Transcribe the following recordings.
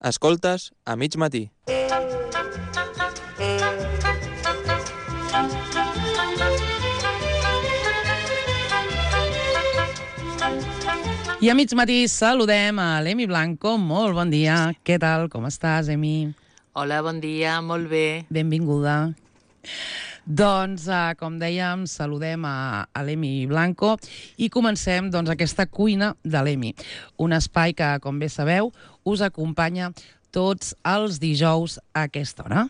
Escoltes a mig matí. I a mig matí saludem a l'Emi Blanco. Molt bon dia. Què tal? Com estàs, Emi? Hola, bon dia, molt bé. Benvinguda. Doncs, com dèiem, saludem a l'Emi Blanco i comencem aquesta cuina de l'Emi. Un espai que, com bé sabeu, us acompanya tots els dijous a aquesta hora.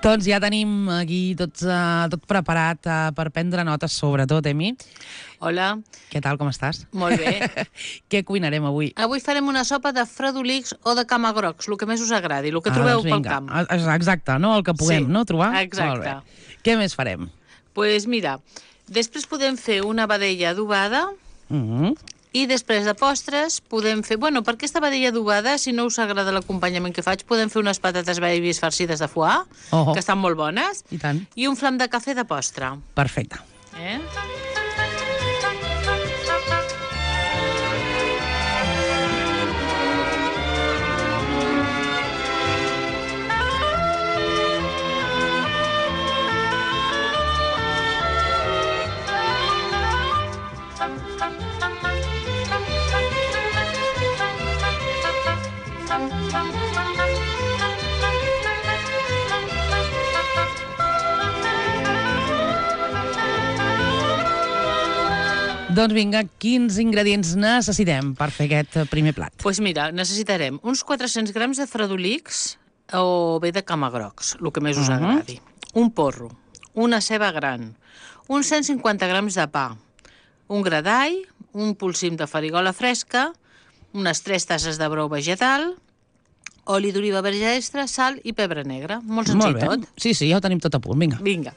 Doncs ja tenim aquí tot preparat per prendre notes, sobretot, Emi. Hola. Què tal, com estàs? Molt bé. Què cuinarem avui? Avui farem una sopa de fredolics o de camagrocs, el que més us agradi, el que trobeu pel camp. Exacte, no? El que puguem, sí, no? Trobar? Exacte. Què més farem? Doncs mira, després podem fer una vedella adobada, i després de postres podem fer... Bueno, per aquesta vedella adobada, si no us agrada l'acompanyament que faig, podem fer unes patates babies farcides de foie, que estan molt bones, i tant. I un flam de cafè de postre. Perfecte. Doncs vinga, quins ingredients necessitem per fer aquest primer plat? Doncs mira, necessitarem uns 400 grams de fredolics o bé de camagrocs, el que més us agradi. Un porro, una ceba gran, uns 150 grams de pa, un gra d'all, un polsim de farigola fresca, unes 3 tasses de brou vegetal, oli d'oliva verge extra, sal i pebre negre. Molt senzill tot. Sí, ja ho tenim tot a punt, vinga. Vinga.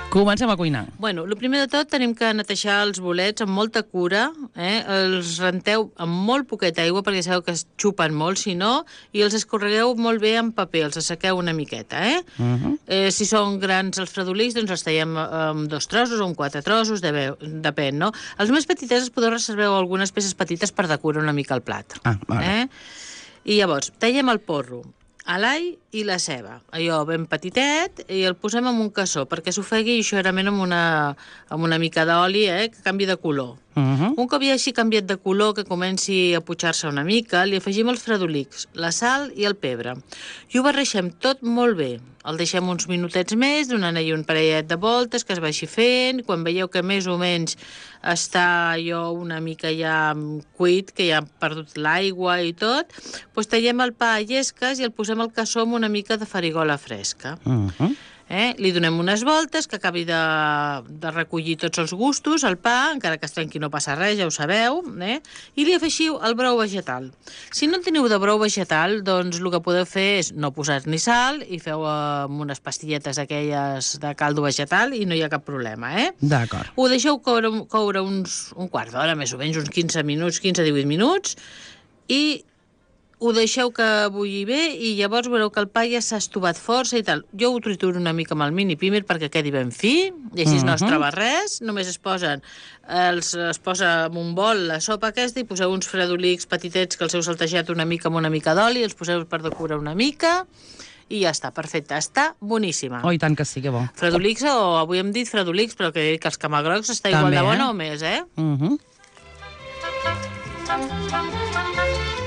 Comencem a cuinar. Bueno, el primer de tot tenim que netejar els bolets amb molta cura, els renteu amb molt poqueta aigua perquè sabeu que es xupen molt, si no, i els escorregueu molt bé amb paper, els assequeu una miqueta, si són grans els fredolics, doncs els tallem amb 2 trossos o amb 4 trossos, depèn, no? Els més petitets podeu reservar algunes peces petites per decorar una mica el plat. Vale. I llavors, tallem el porro, l'all i la ceba, allò ben petitet, i el posem en un cassó perquè s'ofegui ligerament amb una mica d'oli, que canvi de color. Un cop ja així canviat de color, que comenci a pujar-se una mica, li afegim els fredolics, la sal i el pebre. I ho barreixem tot molt bé. El deixem uns minutets més, donant-hi un parellet de voltes, que es vagi fent. Quan veieu que més o menys està allò una mica ja cuit, que ja ha perdut l'aigua i tot, doncs tallem el pa a llesques i el posem al cassó amb una mica de farigola fresca. Li donem unes voltes, que acabi de recollir tots els gustos, el pa, encara que es trenqui no passa res, ja ho sabeu, i li afegiu el brou vegetal. Si no en teniu de brou vegetal, doncs el que podeu fer és no posar-ni sal i feu amb unes pastilletes aquelles de caldo vegetal i no hi ha cap problema, D'acord. Ho deixeu coure un quart d'hora, més o menys, uns 15-18 minuts, i ho deixeu que bulli bé i llavors veureu que el pa ja s'ha estovat força i tal. Jo ho trituro una mica amb el mini pímer perquè quedi ben fi i així no es troba res. Només es posa en un bol la sopa aquesta i poseu uns fredolics petitets que els heu saltejat una mica amb una mica d'oli, els poseu per decorar una mica i ja està, perfecte. Està boníssima. Oh, i tant que sí, que bo. Fredolics, o avui hem dit fredolics, però que els camagrocs està igual de bona o més,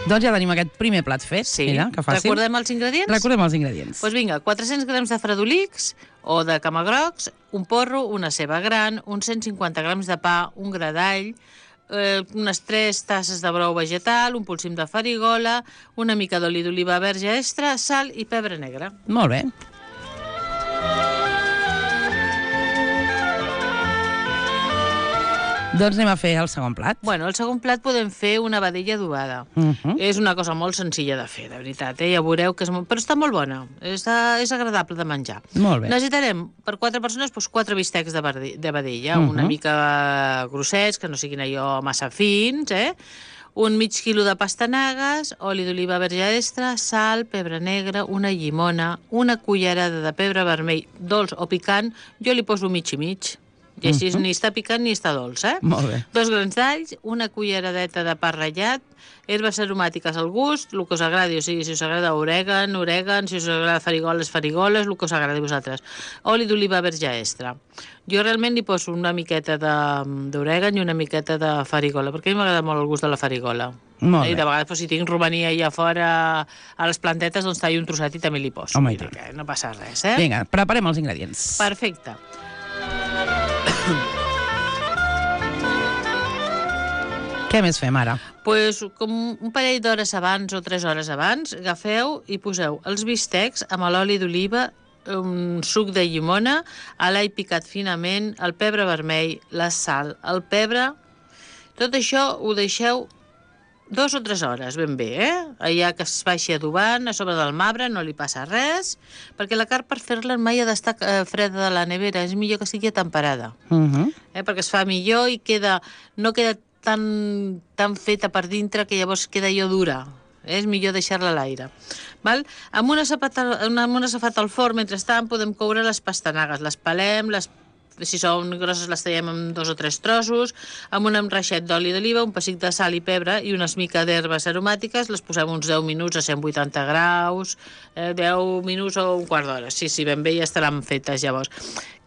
Doncs ja tenim aquest primer plat fet. Sí. Mira, que fàcil. Recordem els ingredients? Recordem els ingredients. Doncs vinga, 400 grams de fredolics o de camagrocs, un porro, una ceba gran, uns 150 grams de pa, un gra d'all, unes 3 tasses de brou vegetal, un polsim de farigola, una mica d'oli d'oliva verge extra, sal i pebre negre. Molt bé. Doncs anem a fer el segon plat. Bueno, el segon plat podem fer una vedella adobada. És una cosa molt senzilla de fer, de veritat, ja veureu que és molt... Però està molt bona, és agradable de menjar. Molt bé. Necessitarem, per 4 persones, 4 bistecs de vedella, una mica grossets, que no siguin allò massa fins, un mig quilo de pastanagues, oli d'oliva verge extra, sal, pebre negre, una llimona, una cullerada de pebre vermell, dolç o picant, jo li poso mig i mig. I així ni està picant ni està dolç, Molt bé. 2 grans d'alls, una culleradeta de pa ratllat, herbes aromàtiques al gust, el que us agradi, o sigui, si us agrada orègan, si us agrada farigoles, el que us agradi a vosaltres. Oli d'oliva verge extra. Jo realment li poso una miqueta d'orègan i una miqueta de farigola, perquè a mi m'agrada molt el gust de la farigola. Molt bé. I de vegades, si tinc romania allà fora a les plantetes, doncs tallo un trosset i també li poso. Home, Vull dir que no passa res, Vinga, preparem els ingredients. Perfecte. Què més fem ara? Pues, com un parell d'hores abans o 3 hores abans, agafeu i poseu els bistecs amb l'oli d'oliva, un suc de llimona, l'all picat finament, el pebre vermell, la sal, el pebre... Tot això ho deixeu 2 o 3 hores, ben bé, allà que es vagi adobant a sobre del marbre, no li passa res, perquè la carn per fer-la mai ha d'estar freda de la nevera, és millor que sigui temperada, perquè es fa millor i no queda tan feta per dintre que llavors queda allò dura. És millor deixar-la a l'aire. Amb una safata al forn, mentrestant, podem coure les pastanagues. Les pelem, si són grosses les tallem en 2 o 3 trossos, amb un enreixet d'oli d'oliva, un pessic de sal i pebre i unes mica d'herbes aromàtiques, les posem uns 10 minuts a 180 graus, 10 minuts o un quart d'hora. Sí, ben bé ja estaran fetes llavors.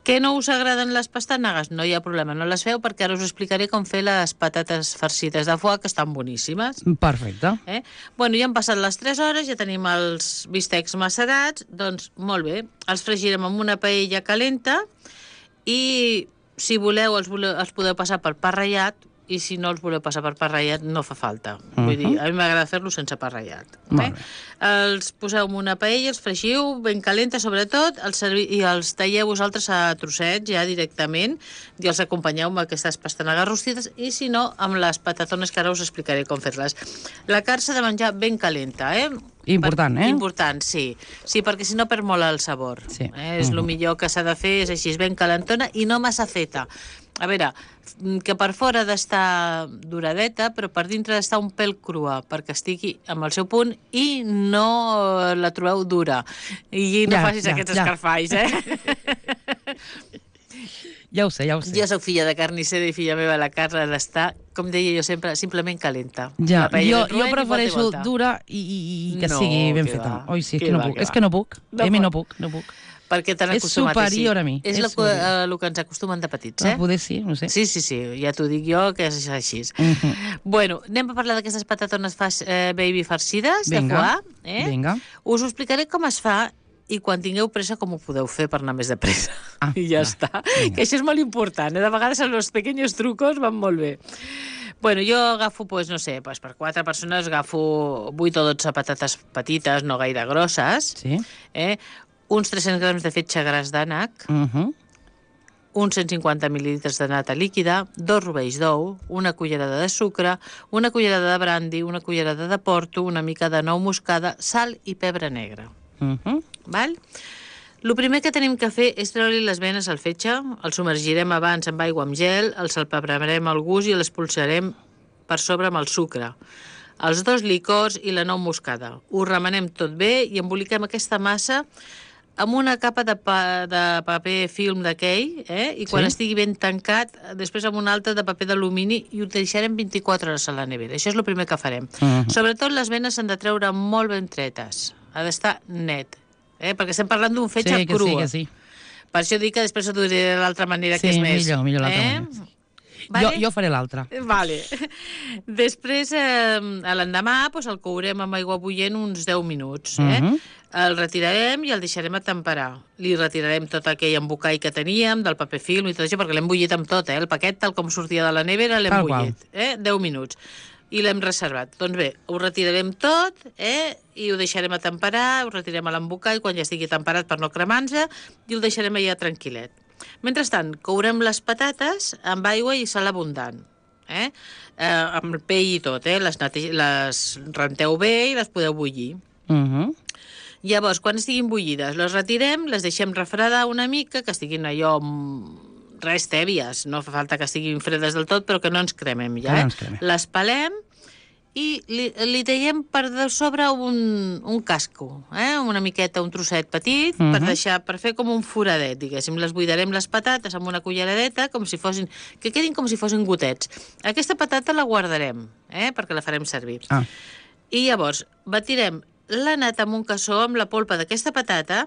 Que no us agraden les pastanagues? No hi ha problema, no les feu, perquè ara us explicaré com fer les patates farcides de foie, que estan boníssimes. Perfecte. Bueno, ja han passat les 3 hores, ja tenim els bistecs macerats, doncs molt bé, els fregirem amb una paella calenta i si voleu els podeu passar per pa ratllat, i si no els voleu passar per pa ratllat no fa falta. Vull dir, a mi m'agrada fer-lo sense pa ratllat. Els poseu en una paella, els fregiu ben calenta sobretot, i els talleu vosaltres a trossets ja directament i els acompanyeu amb aquestes pastanagues rostides i si no amb les patatones que ara us explicaré com fer-les. La carn s'ha de menjar ben calenta, Important, Important, sí. Sí, perquè si no perd molt el sabor. Sí. És el millor que s'ha de fer, és així, ben calentona i no massa feta. A veure, que per fora ha d'estar duradeta, però per dintre ha d'estar un pèl crua, perquè estigui amb el seu punt i no la trobeu dura. I no facis aquests escarfalls, Ja ho sé. Jo soc filla de carnissera i filla meva, la carn ha d'estar, com deia jo sempre, simplement calenta. Ja, jo prefereixo dura i que sigui ben feta. Oi, sí, és que no puc. No puc. Perquè t'han acostumat. És superior a mi. És el que ens acostumen de petits, Poder sí, no sé. Sí, ja t'ho dic jo, que és així. Bueno, anem a parlar d'aquestes patatones baby farcides de foie. Vinga. Us ho explicaré com es fa i quan tingueu pressa com ho podeu fer per anar més de pressa. I ja està. Que això és molt important. De vegades els pequeños trucos van molt bé. Bueno, jo agafo, no sé, per 4 persones agafo 8 o 12 patates petites, no gaire grosses, uns 300 grams de fetge gras d'ànec, uns 150 mil·lilitres de nata líquida, 2 rovells d'ou, una cullerada de sucre, una cullerada de brandy, una cullerada de porto, una mica de nou moscada, sal i pebre negre. Val? El primer que tenim que fer és treure-li les venes al fetge, el submergirem abans amb aigua amb gel, el salpebrarem al gust i l'expulsarem per sobre amb el sucre, els 2 licors i la nou moscada. Ho remenem tot bé i emboliquem aquesta massa amb una capa de paper film d'aquell, i quan estigui ben tancat, després amb una altra de paper d'alumini i ho deixarem 24 hores a la nevera. Això és el primer que farem. Sobretot les venes s'han de treure molt ben tretes. Ha d'estar net, perquè estem parlant d'un fetge cru. Sí, que sí. Per això dic que després ho diré de l'altra manera, que és més. Sí, millor l'altra manera. Vale? Jo faré l'altra. Vale. Després, l'endemà, el courem amb aigua bullent uns 10 minuts. El retirarem i el deixarem a temperar. Li retirarem tot aquell embocall que teníem, del paper film i tot això, perquè l'hem bullit amb tot, el paquet, tal com sortia de la nevera, l'hem bullit. 10 minuts. I l'hem reservat. Doncs bé, ho retirarem tot, i ho deixarem a temperar, ho retirem a l'embocall quan ja estigui temperat per no cremar-se, i ho deixarem allà tranquil·let. Mentrestant, courem les patates amb aigua i sal abundant. Amb el pell i tot, les renteu bé i les podeu bullir. Llavors, quan estiguin bullides, les retirem, les deixem refredar una mica, que estiguin allò res tèbies, no fa falta que estiguin fredes del tot, però que no ens cremem ja. No ens cremem. Les pelem i li traiem per de sobre un casco, una miqueta, un trosset petit, per fer com un foradet, diguéssim. Les buidarem les patates amb una culleradeta, que quedin com si fossin gotets. Aquesta patata la guardarem, perquè la farem servir. I llavors batirem la nata amb un cassó amb la polpa d'aquesta patata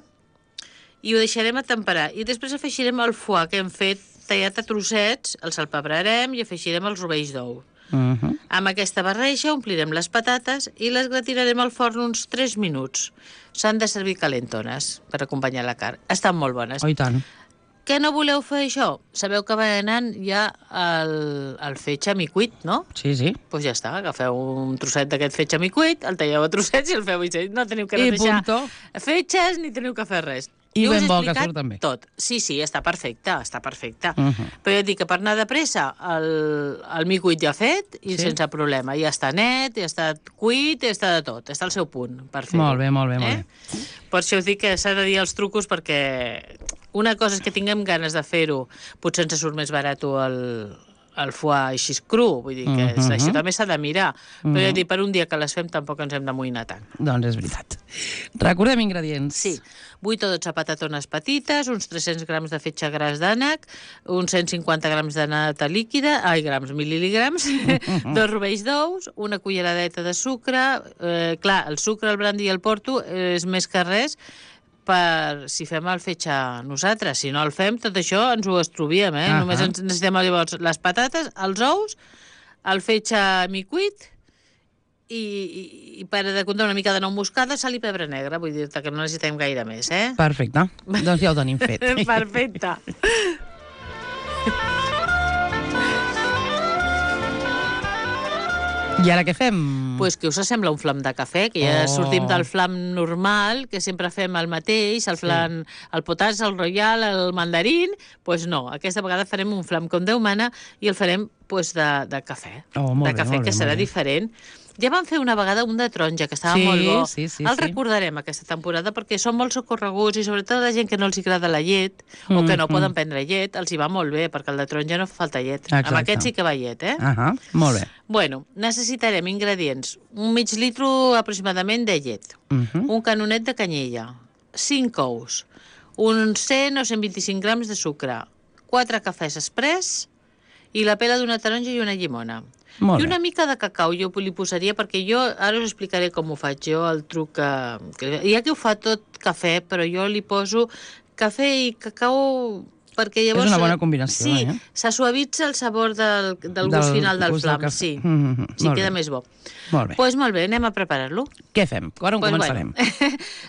i ho deixarem a temperar. I després afegirem el foie que hem fet tallat a trossets, el salpebrarem i afegirem els rovells d'ou. Amb aquesta barreja omplirem les patates i les gratinarem al forn uns 3 minuts. S'han de servir calentones per acompanyar la carn. Estan molt bones. Oh, i tant. Que no voleu fer això? Sabeu que va anant ja el fetge micuit, no? Sí. Doncs ja està, agafeu un trosset d'aquest fetge micuit, el talleu a trossets i el feu així. No teniu que netejar fetges ni teniu que fer res. I ben bo que surt també. Tot. Sí, està perfecte, Però jo et dic que per anar de pressa el micuit ja fet i sense problema. Ja està net, ja està cuit, ja està de tot. Està al seu punt per fer-ho. Molt bé. Per això us dic que s'ha de dir els trucos perquè una cosa és que tinguem ganes de fer-ho, potser ens surt més barat el foie així cru, vull dir que això també s'ha de mirar, però ja dic, per un dia que les fem tampoc ens hem d'amoïnar tant. Doncs és veritat. Recordem ingredients. Sí, 8 o 12 patatones petites, uns 300 grams de fetge gras d'ànec, uns 150 grams de nata líquida, mil·lígrams, 2 rovells d'ous, una culleradeta de sucre, clar, el sucre, el brandi i el porto és més que res per si fem el fetge nosaltres. Si no el fem, tot això ens ho estruviem, Només ens necessitem llavors les patates, els ous, el fetge micuit i per de comptar una mica de nou moscada, sal i pebre negre. Vull dir-te que no necessitem gaire més, Perfecte. Doncs ja ho tenim fet. Perfecte. I ara què fem? Pues que us sembla un flam de cafè, que ja sortim del flam normal, que sempre fem el mateix, el flam, el potats, el royal, el mandarín, pues no, aquesta vegada farem un flam com Déu mana i el farem pues, de cafè. Molt bé, que serà diferent. Ja vam fer una vegada un de taronja, que estava molt bo. El recordarem aquesta temporada perquè són molt socorreguts i sobretot la gent que no els agrada la llet o que no poden prendre llet, els hi va molt bé perquè el de taronja no fa falta llet. Exacte. Amb aquest sí que va llet, Molt bé. Bueno, necessitarem ingredients. Un mig litro aproximadament de llet, un canonet de canyella, 5 ous, uns 100 o 125 grams de sucre, 4 cafès express i la pela d'una taronja i una llimona. I una mica de cacau jo li posaria, perquè jo ara us explicaré com ho faig jo, el truc que hi ha qui ho fa tot cafè, però jo li poso cafè i cacau perquè llavors... És una bona combinació, Sí, se suavitza el sabor del gust final del flam, sí, queda més bo. Molt bé. Doncs molt bé, anem a preparar-lo. Què fem? On començarem?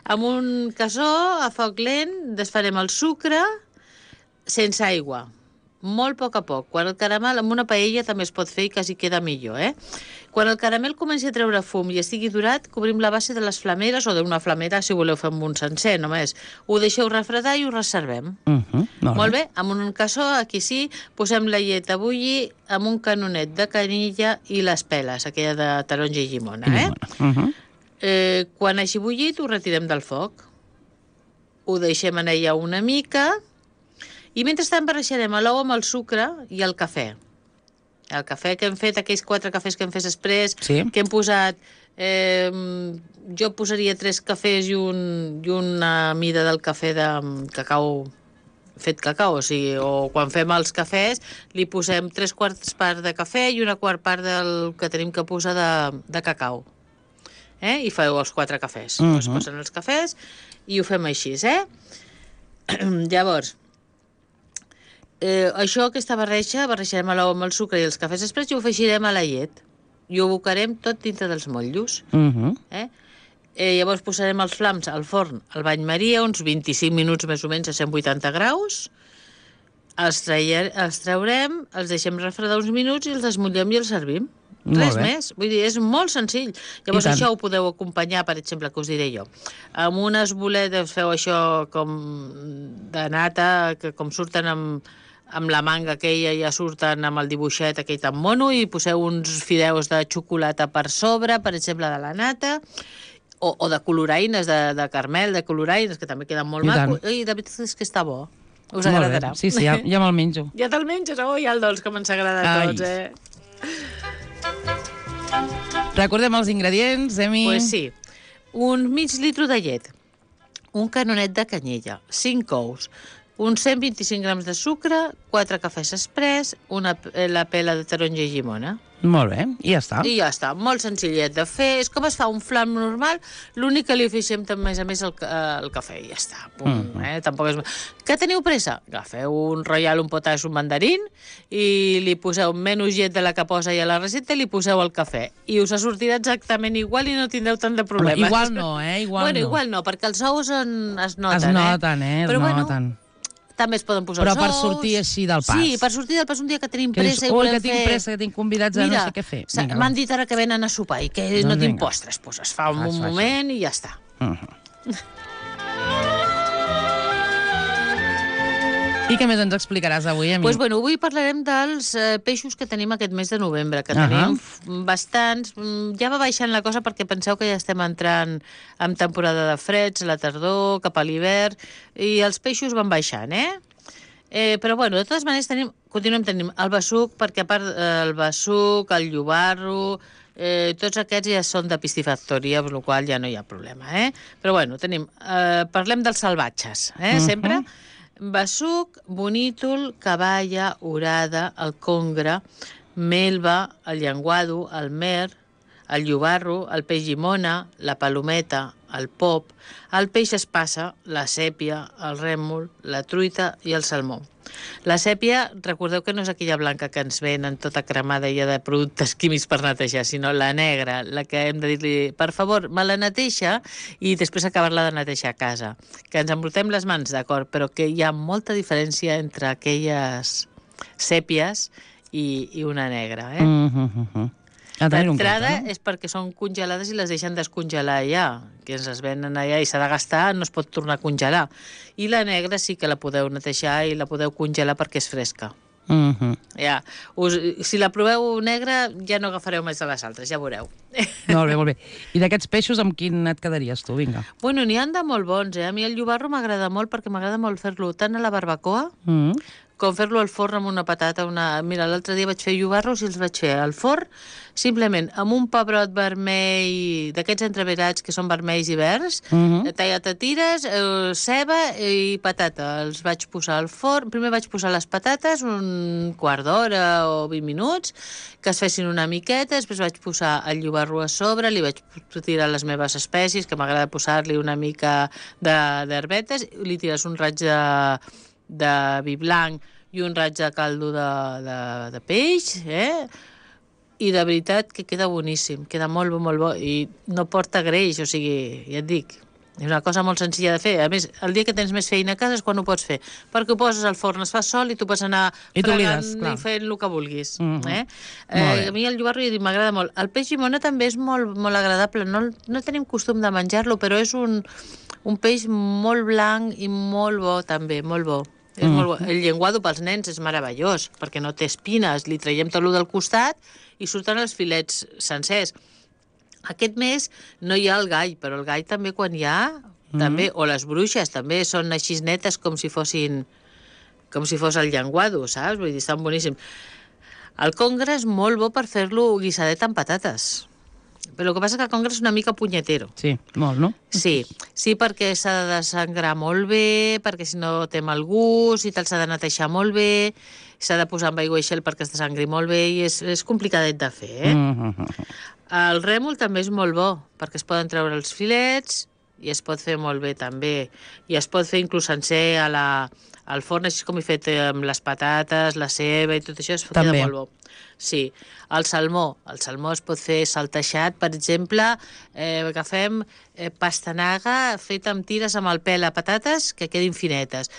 Amb un cassó, a foc lent, desfarem el sucre sense aigua, molt a poc. Quan el caramel, amb una paella també es pot fer i quasi queda millor, Quan el caramel comenci a treure fum i estigui durat, cobrim la base de les flameres o d'una flamera, si voleu fer amb un sencer, només. Ho deixeu refredar i ho reservem. Molt bé, amb un cassó, aquí sí, posem la llet a bullir amb un canonet de canilla i les peles, aquella de taronja i llimona, Quan hagi bullit, ho retirem del foc. Ho deixem anar ja una mica. I mentrestant barrejarem l'ou amb el sucre i el cafè. El cafè que hem fet, aquells 4 cafès que hem fet express, que hem posat... jo posaria 3 cafès i una mida del cafè de cacau, fet cacau, o quan fem els cafès li posem 3/4 part de cafè i 1/4 part del que tenim que posar de cacau. I feu els 4 cafès. Es posen els cafès i ho fem així, Llavors, aquesta barrejarem l'ou amb el sucre i els cafès express i ho afegirem a la llet i ho abocarem tot dintre dels motllos. Llavors posarem els flams al forn al bany maria, uns 25 minuts més o menys a 180 graus, els traurem, els deixem refredar uns minuts i els desmotllem i els servim. Res bé. més. Vull dir, és molt senzill. Llavors I tant. això ho podeu acompanyar, per exemple, que us diré jo. Amb unes boletes feu això com de nata, que com surten amb la manga aquella, ja surten amb el dibuixet aquell tan mono, i poseu uns fideus de xocolata per sobre, per exemple, de la nata, o de coloraines, de carmel, de coloraines, que també queden molt I maco. tant. I la veritat és que està bo. Us Molt agradarà. bé. Sí, ja me'l menjo. Ja te'l menges? Oh, ja el dolç, que ens agrada a Ai. tots, eh? Recordem els ingredients, Emi. Pues sí. Un mig litro de llet, un canonet de canyella, 5 ous, uns 125 grams de sucre, 4 cafès express, la pela de taronja i llimona. Molt bé, i ja està. I ja està, molt senzillet de fer. És com es fa un flam normal, l'únic que li afegem també, a més, el cafè, i ja està. Pum, Tampoc és... Que teniu pressa? Agafeu un royal, un potash, un mandarín, i li poseu menys llet de la que posa ja a la recepta, i li poseu el cafè. I us sortirà exactament igual i no tindreu tant de problemes. Igual no, Igual no, perquè els ous es noten, Es noten, es noten. També es poden posar Però els per ous. sortir així del pas. Sí, per sortir del pas un dia que tenim Que dius, pressa i volem que tinc pressa, que tinc convidats a no sé què fer. Vinga, m'han dit ara que venen a sopar i que Doncs no tinc vinga. postres. Doncs es fa un Es fa moment i ja està. I què més ens explicaràs avui, Emi? Doncs avui parlarem dels peixos que tenim aquest mes de novembre, que tenim bastants. Ja va baixant la cosa perquè penseu que ja estem entrant en temporada de freds, la tardor, cap a l'hivern, i els peixos van baixant, però, de totes maneres, continuem tenint el besuc, perquè a part el besuc, el llobarro, tots aquests ja són de piscifactoria, per la qual ja no hi ha problema, Però, tenim... parlem dels salvatges, sempre... Besuc, bonítol, caballa, orada, el congre, melva, el llenguado, el mer, el llobarro, el peix llimona, la palometa, el pop, el peix espassa, la sèpia, el rèmol, la truita i el salmó. La sèpia, recordeu que no és aquella blanca que ens venen tota cremada ja de productes químics per netejar, sinó la negra, la que hem de dir-li, per favor, me la neteja, i després acabar-la de netejar a casa. Que ens embrutem les mans, d'acord, però que hi ha molta diferència entre aquelles sèpies i una negra, D'entrada és perquè són congelades i les deixen descongelar allà, que ens les venen allà i s'ha de gastar, no es pot tornar a congelar. I la negra sí que la podeu netejar i la podeu congelar perquè és fresca. Si la proveu negra ja no agafareu més de les altres, ja veureu. Molt bé. I d'aquests peixos amb quin et quedaries tu? Vinga. N'hi han de molt bons, A mi el llobarro m'agrada molt perquè m'agrada molt fer-lo tant a la barbacoa com fer-lo al forn amb una patata. Mira, l'altre dia vaig fer llobarros i els vaig fer al forn simplement amb un pebrot vermell, d'aquests entreverats que són vermells i verds, tallat a tires, ceba i patata. Els vaig posar al forn. Primer vaig posar les patates un quart d'hora o 20 minuts, que es fessin una miqueta, després vaig posar el llobarro a sobre, li vaig tirar les meves espècies, que m'agrada posar-li una mica d'herbetes, li tires un raig de vi blanc i un raig de caldo de peix, i de veritat que queda boníssim, queda molt bo, i no porta greix, o sigui, ja et dic, és una cosa molt senzilla de fer. A més, el dia que tens més feina a casa és quan ho pots fer, perquè ho poses al forn, es fa sol i tu pots anar fregant i fent el que vulguis. A mi el llobarro m'agrada molt. El peix llimona també és molt, molt agradable, no tenim costum de menjar-lo, però és un peix molt blanc i molt bo també, molt bo. És molt bo. El llenguado pels nens és meravellós, perquè no té espines, li traiem tot del costat i surten els filets sencers. Aquest mes no hi ha el gall, però el gall també quan hi ha, també, o les bruixes també són així netes com si fos el llenguado, saps? Vull dir, estan boníssims. El congre és molt bo per fer-lo guisadet amb patates. Però el que passa és que el congre és una mica punyetero. Sí, molt, no? Sí, perquè s'ha de desangrar molt bé, perquè si no té mal gust, i te'l s'ha de netejar molt bé, s'ha de posar amb aigua i gel perquè es desangri molt bé, i és complicadet de fer, El rèmol també és molt bo, perquè es poden treure els filets i es pot fer molt bé també. I es pot fer inclús sencer al forn, així com he fet amb les patates, la ceba i tot això, queda També. molt bo. Sí, el salmó es pot fer salteixat, per exemple, agafem pastanaga feta amb tires amb el pèl a patates que quedin finetes.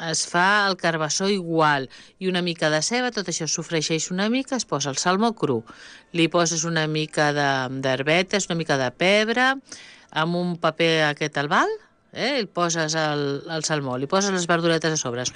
Es fa el carbassó igual i una mica de ceba, tot això sofreixeix una mica, es posa el salmó cru, li poses una mica d'herbetes, una mica de pebre, amb un paper aquest albal, el poses el salmó, li poses les verduretes a sobre,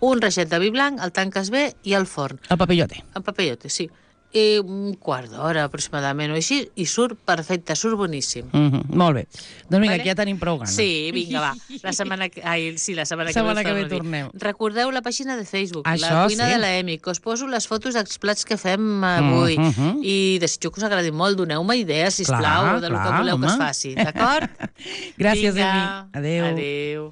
un reixet de vi blanc, el tanques bé i al forn. El papillote. El papillote, sí. I un quart d'hora aproximadament o així, i surt perfecte, surt boníssim. Molt bé. Doncs vinga, Vale? aquí ja tenim prou gana. Sí, vinga, va. La setmana que ve tornem. Recordeu la pàgina de Facebook, Això la cuina sí. de la Emi, que us poso les fotos dels plats que fem avui. I desitjo que us agradi molt. Doneu-me idees, sisplau, del que voleu que es faci. D'acord? Gràcies, Vinga. Emi. Adéu. Adéu.